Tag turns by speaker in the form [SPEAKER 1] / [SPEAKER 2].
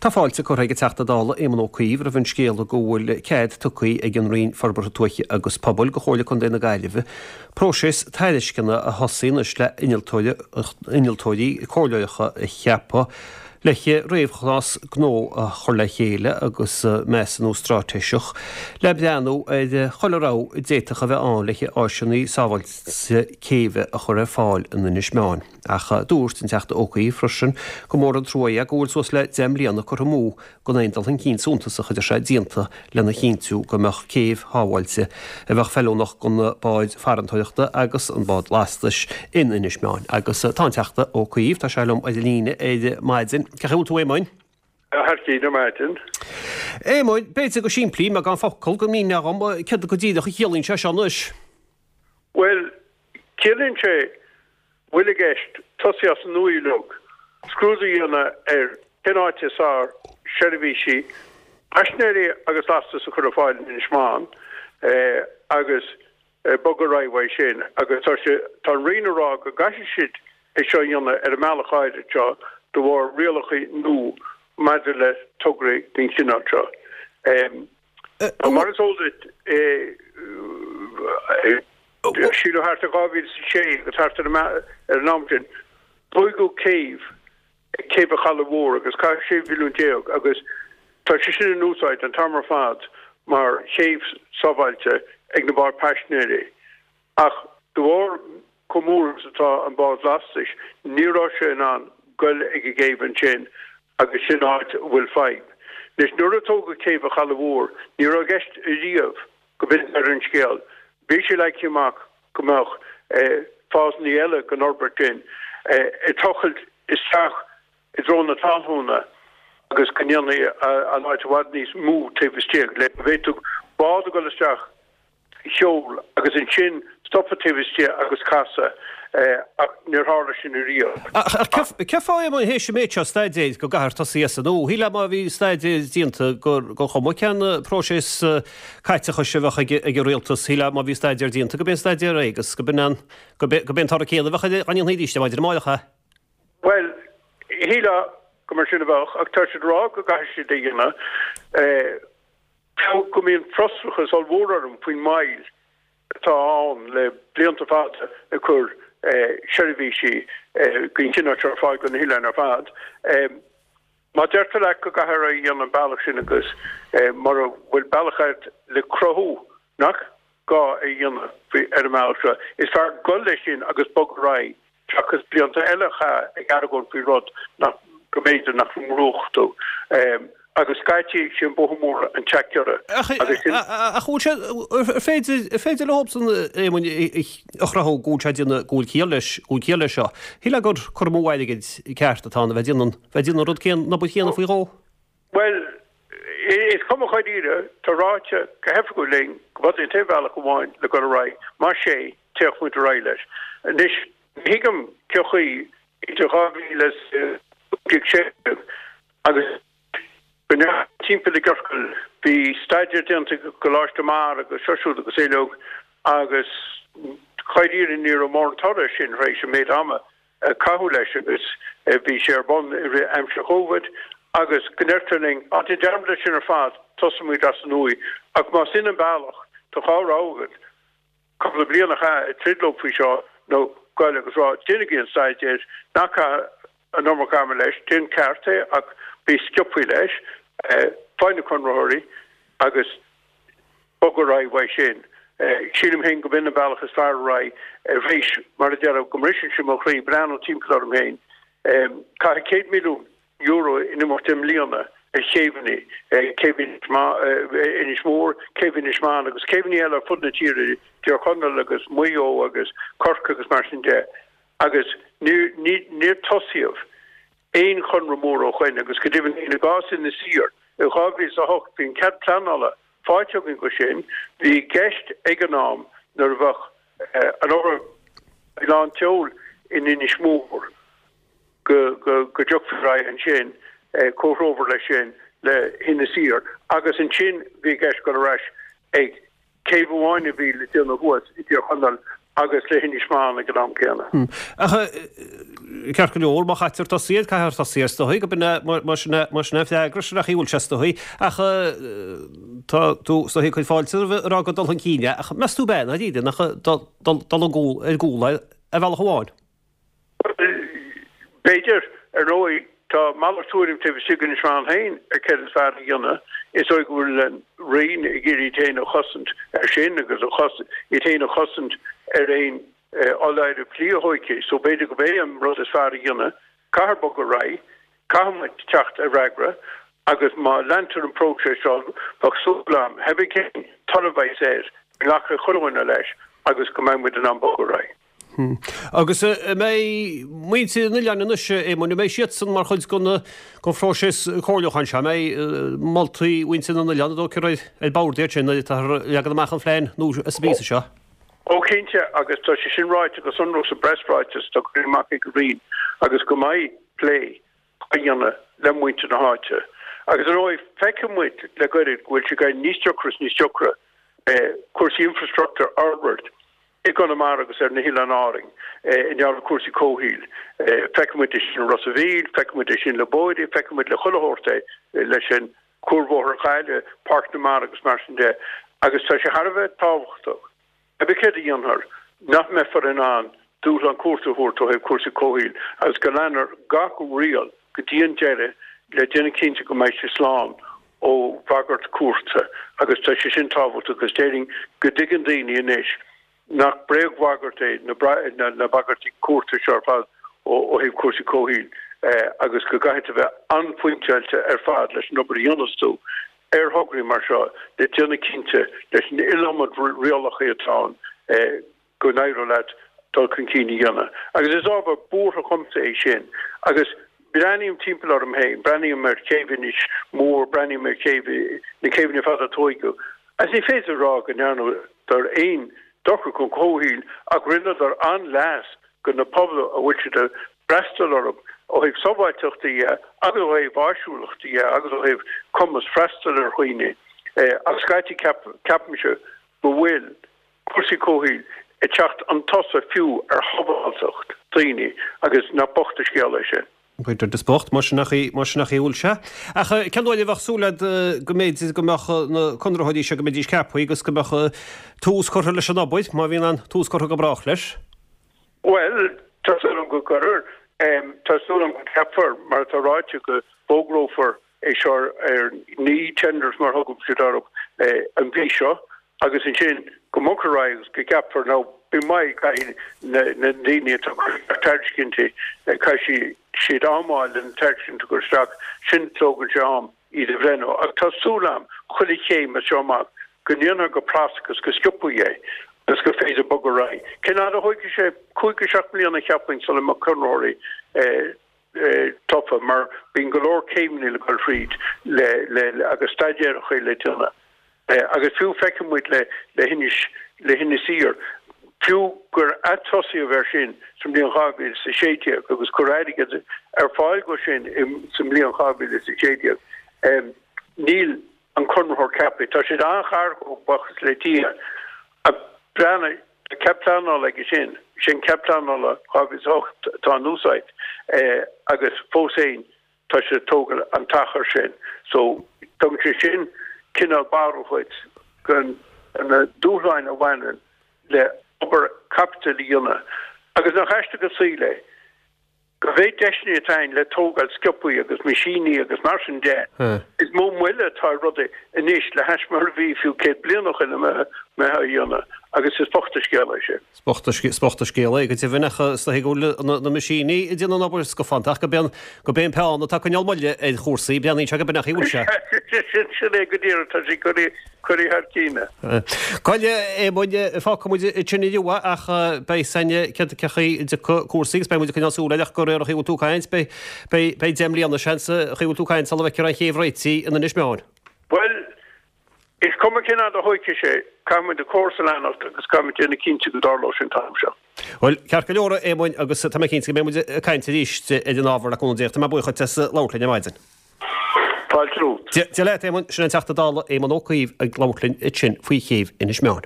[SPEAKER 1] Tá fáilte curtha ag an Teachta Dála Éamon Ó Cuív roimh an scéala go bhfuil cead tugtha ag an Roinn Forbartha Tuaithe agus Pobail do Chomhairle Contae na Gaillimhe próiseas tairisceana a thosaí anois le innealtóirí comhairleoireacha a cheapadh le réamhchás gnó a chur le chéile agus measúnú straitéiseach le breathnú ar chuile rogha a d'fhéadfadh a bheith ann le áiseanna sábháilte céibhe a chur ar fáil in Inis Meáin. Ach dúirt an Teachta Ó Cuív freisin gur mór an trua é go bhfuil suas le 10 mbliana curtha amú gan aon dul chun cinn suntasach, a deir sé, déanta lena chinntiú go mbeadh céibh shábháilte a bheadh feiliúnach do na báid farantóireachta agus an bád lastais in Inis Meáin. Agus tá an Teachta Ó Cuív, tá sé liom ar an líne ar maidin. Cén chaoi a bhfuil tú, a Éamoinn?
[SPEAKER 2] Thar cinn ar maidin.
[SPEAKER 1] Éamoinn, b'fhéidir go simplí, i mbeagán focal, go míneofá dhom céard go díreach a chiallaíonn sé seo anois?
[SPEAKER 2] Bhuel, ciallaíonn sé bhfuil i gceist tosaí as an nua uilig, scrúdú a dhéanamh ar cén áit is fearr seirbhísí paisinéirí agus lastais a chur ar fáil in Inis Meáin agus bogadh ar aghaidh uaidh sin. Agus tá sé, tá an Roinn ag rá go gcaithfidh siad é seo a dhéanamh ar an mbealach áirid seo de bharr rialacha nua maidir le tograí den chineál seo. Mar is eol duit, sílim thart ar 2006 agus thart ar an am sin, tóigeadh céibh, Céibh an Chalaidh Mhóir agus caitheadh 16 mhilliún agus tá sé sin in úsáid an t-am ar fad mar chéibh sábháilte ag na báid paisinéirí. Ach de bharr chomh mór is atá an bád lastais, ní raibh sé in ann goil ag an gcéibh ansin agus sin áit a bhfuil fadhb. Anois, nuair a tógadh Céibh an Chalaidh Mhóir, ní raibh i gceist ariamh go b'in deireadh an scéil. Bhí sé leagtha amach go mbeadh fásanna eile den fhorbairt sin ag tochailt isteach i dtreo na talúna agus go ndéanfaí an áit i bhfad níos mó taobh istigh le go bhféadfadh bád a dhul isteach sheol agus ansin stopadh taobh istigh agus casadh ach níor tharla sin ariamh.
[SPEAKER 1] Ach cén fáth, Éamoinn, théis an méid seo staidéir go gcaithfear tosaí as an nua? Shílfeá má bhí staidéar déanta gur chuma cén próiseas caiteachais a bheadh ag an rialtas, shílfeá má bhí staidéar déanta go b'é an staidéar é agus go b'in an go b'é an toradh céanna a bheadh air dá ndéanfaí arís é maidin amárach é.
[SPEAKER 2] Bhuel, shílfeá go mar sin a bheadh ach tá siad ag rá go gcaithfidh siad é a dhéanamh. Fiú go mbíonn frustrachas ollmhór orm faoin moill atá ann le blianta fada ag cur seirbhísí den chineál seo ar fáil do na hoileáin ar fad, má deirtear leat go gcaithfear é a dhéanamh an bealach sin agus mura bhfuil bealach agat le cruthú nach gá é a dhéanamh ar an mbealach seo, is fearr dul leis sin agus bogadh ar aghaidh seachas blianta eile a chaitheamh ag argóint faoi rud nach, go mb'fhéidir nach ngnóthódh tú. Agus scaití, sé an bóthar mór an teach giorra.
[SPEAKER 1] Agus sin. Ach bhfuil sé, ar féidir, ar féidir leobsan, Éamoinn, a chruthú go bhfuil sé ag déanamh, go bhfuil ciall leis, go bhfuil ciall leis seo? Shílfeá gur cur amú airgid ceart atá ann a bheith ag déanamh, bheith ag déanamh an rud céanna, an obair chéanna faoi dhó.
[SPEAKER 2] Bhuel, is cuma dháiríre, tá ráite go hoifigiúil linn go b'é an t-aon bhealach amháin le dul ar aghaidh, más é, téadh muid ar aghaidh leis. Anois, ní thuigim cén chaoi idir 2015 agus go ndeachaigh timpeall i gciorcal, bhí staidéar déanta ag Coláiste Mara agus seo siúd agus uilig agus dháiríre ní raibh mórán toradh air sin tar éis an méid ama a caitheadh leis agus bhí sé ar bun i rith aimsir Chovid agus go ndeirtear linn, á déan dearmad air sin ar fad, tosóimid as an nua. Ach más in an bealach, tá dhá rogha agat, cúpla bliain a chaitheamh ag troid leo faoi seo nó goil agus rá, déanaigí an staidéar, ná caith an iomarca ama leis, déan ceart é ach bí sciobthaí leis, faigh na conraitheoirí agus. bog ar aghaidh uaidh sin. Sílim féin go b'in an bealach is fearr ar aghaidh arís, mar a deirim, go mbriseann sé mo chroí breathnú timpeall orm féin. Caitheadh €100 milliún in imeacht deich mbliana ar chéibheanna, céibh Inis Mór, céibh Inis Meáin agus céibheanna eile ar fud na tíre, Tír Chonaill agus Maigh Eo agus Corcaigh agus mar sin de, agus níor tosaíodh aon chonradh mór ó shoin agus go deimhin i gcás Inis Oírr i 2008 bhí an cead pleanála faighte againn go sin. Bhí i gceist ag an am nuair a bheadh an obair faoi lán tseoil in Inis Mór go dtiocfaí ar aghaidh ansin comhthreomhar leis sin le hInis Oírr agus ansin bhí i gceist dul ar ais ag céibh amháin a bhí le déanamh thuas i dTír Chonaill. agus le hInis Meáin ag an am céanna.
[SPEAKER 1] Ach ceart go leor, má chaitear tosaí air, caithfear tosaí air is dóigh, gurb in é, mar sin é, mar sin é an freagra, sin é an chaoi a bhfuil sé is dóigh. Ach tá tú is dóigh ag cur fáilte roimh a rá gur dul chun cinn é, ach meas tú ab ea, ndáiríre, nach dul dul ar gcúl é ar bhealach amháin?
[SPEAKER 2] Bhuel, b'fhéidir. Ar ndóigh, tá malairt tuairim taobh istigh d'Inis Meáin féin ar céard is fearr a dhéanamh. Is dóigh go bhfuil an Roinn ag iarraidh iad féin a chosaint ar sin agus iad féin a chosaint ar aon fholáireamh dlí a thóigfí. So b'fhéidir gurb é an rud is fearr a dhéanamh, caithfear bogadh ar aghaidh, caithfidh muid teacht ar fhreagra agus má leantar an próiseas seo, bheadh súil agam, pé cén toradh a bheas air, go nglacfaidh chuile dhuine leis agus go mbeidh muid in ann bogadh ar aghaidh.
[SPEAKER 1] Agus an mbeidh muintir an oileáin anois, a Éamoinn, an mbeidh siadsan mar chuid den phróiseas comhairliúcháin seo? An mbeidh moltaí mhuintir na n-oileán, an dóigh leat, ar bord iad sin nuair atáthar ag leagan amach an phlean nua sa bpíosa seo?
[SPEAKER 2] Ó cinnte, agus tá sé sin ráite go sonrach sa bpreasráiteas atá curtha amach ag an Roinn agus go mbeidh plé á dhéanamh le muintir na háite. Agus ar ndóigh, feicfidh muid le gairid go bhfuil sé ag éirí níos deacra is níos deacra cúrsaí infreastruchtúir a fhorbairt i gConamara agus ar na hOileáin Árainn i ngeall ar chúrsaí comhshaoil. Feicfidh muid é sin i Ros a' Mhíl, feicfidh muid é sin le bóithre, feicfidh muid le chuile shórt é, leis an Cuarbhóthar Ghaillimh, Páirc na Mara agus mar sin de. Agus tá sé thar a bheith tábhachtach, pé céard a dhéanfar, nach mbeifear in ann dúshlán cúirte a thabhairt ó thaobh cúrsaí comhshaoil agus go leanfar gach riail go dtí an deireadh le déanamh cinnte go mbeidh sé slán ó bhagairt cúirte agus tá sé sin tábhachtach agus déarfainn go dtuigeann daoine anois nach bréagbhagairt é na bagairtí cúirte seo ar fad ó thaobh cúrsaí comhshaoil agus go gcaithfidh tú bheith an-phointeáilte ar fad leis an obair a dhéanas tú ar thograí mar seo le déanamh cinnte leis an iliomad rialacha atá ann go n-éireoidh leat dul chun cinn a dhéanamh. Agus is ábhar buartha dhomsa é sin. Agus breathnaím timpeall orm féin, breathnaím ar chéibh Inis Mór, breathnaím ar chéibh, na céibheanna ar fad a tóigeadh, agus ní féidir a rá go ndearnadar aon dochar don chomhshaoil ach rinneadar an-leas do na pobail a bhfuil siad ag freastal orthu ó thaobh sábháilteachta dhe agus ó thaobh áisiúlachta dhe agus ó thaobh cumas freastal ar dhaoine. Ach scaití ceapaimse go bhfuil cúrsaí comhshaoil ag teacht chun tosaigh fiú ar shábháilteacht daoine agus nach bocht an scéal é sin.
[SPEAKER 1] B'fhéidir is bocht, mar sin nach í, mar sin nach í a bhfuil sé. Ach cén uair a bheadh súil agat go mb'fhéidir go mbeadh na conraitheoirí seo, go mbeidís ceaptha agus go mbeadh tús curtha leis an obair, má bhíonn an tús curtha go brách leis?
[SPEAKER 2] Bhuel, tá súil agam go gcuirfear. Tá súil agam go gceapfar, mar atá ráite, go bhfógrófar é seo ar na e-tenders mar a thugann siad orthu an mhí seo agus ansin go mbogfar ar aghaidh agus go gceapfar nó bí maith caithfidh na daoine atá ag cur isteach tairiscintí caithfidh siad am a fháil lena tairiscint a chur isteach sin tógann sé am iad a bhreithniú ach tá súil agam chuile chéim as seo amach go ndéanfar go pras agus go sciobtha é agus gur féidir bogadh ar aghaidh. Cén fhad a thógfaidh sé? 5 go 7 mbliana cheapfainn sula mbeadh conraitheoirí tofa mar bíonn go leor céimeanna le dul thríd le le agus staidéaracha le déanamh. Agus fiú feiceann muid le le hInis le hInis Oírr, fiú gur atosaíodh air sin sa mbliain 2016 agus cuireadh airgead ar fáil dó sin sa mbliain 2016, níl an conraitheoir ceaptha. Tá siad an-ghar dhó, buíochas le Dia. Ach breathnaigh, tá cead pleanála aige sin, sin cead pleanála 2008 atá in úsáid agus fós féin tá siad ag tógáil an t-achar sin. So, tugann sé sin cineál barúil dhuit de na dúshláin a bhaineann le obair caipitil a dhéanamh. Agus nach aisteach an saol é? An mhéid deiseanna atá ann le tógáil sciobthaí agus meaisíní agus mar sin de, is mó moille atá ar rudaí anois le hais mar a bhí fiú 100 bliain ó shin a mbeifeá a dhéanamh agus is bocht an scéal é sin.
[SPEAKER 1] Is bocht an scéal é go deimhin ach is dóigh go bhfuil na meaisíní ag déanamh an obair scafánta ach gurb é an peann atá ag coinneáil moille ar chúrsaí, breathnaíonn sé gurb in é an chaoi a bhfuil
[SPEAKER 2] sé. Sin é go díreach, tá sé curtha thar cinn.
[SPEAKER 1] Bhuel, a Éamoinn, fágfaidh muid ansin inniu é ach beidh a fhios againn cén chaoi a dtiocfaidh cúrsaí agus beidh muid ag coinneáil súil air ach de réir an chaoi a bhfuil tú ag caint, beidh, beidh 10 mbliana, seans, an chaoi a bhfuil tú ag caint sula bhfeicfear an chéibh réitithe in Inis Meáin.
[SPEAKER 2] Bhuel, is cuma cén fhad a thóigfidh sé, caithfidh muid an córas a leanacht agus caithfidh muid déanamh cinnte go dtarlóidh sé an t-am seo.
[SPEAKER 1] Bhuel, ceart go leor, a Éamoinn, agus tá mé cinnte go mbeidh muid ag caint arís ar an ábhar le cúnamh Dé. Tá mé buíoch duit as labhairt linn ar maidin.
[SPEAKER 2] Fáilte romhat.
[SPEAKER 1] Dia leat, Éamonn. Sin an Teachta Dála Éamon Ó Cuív ag labhairt linn ansin faoi chéibh Inis Meáin.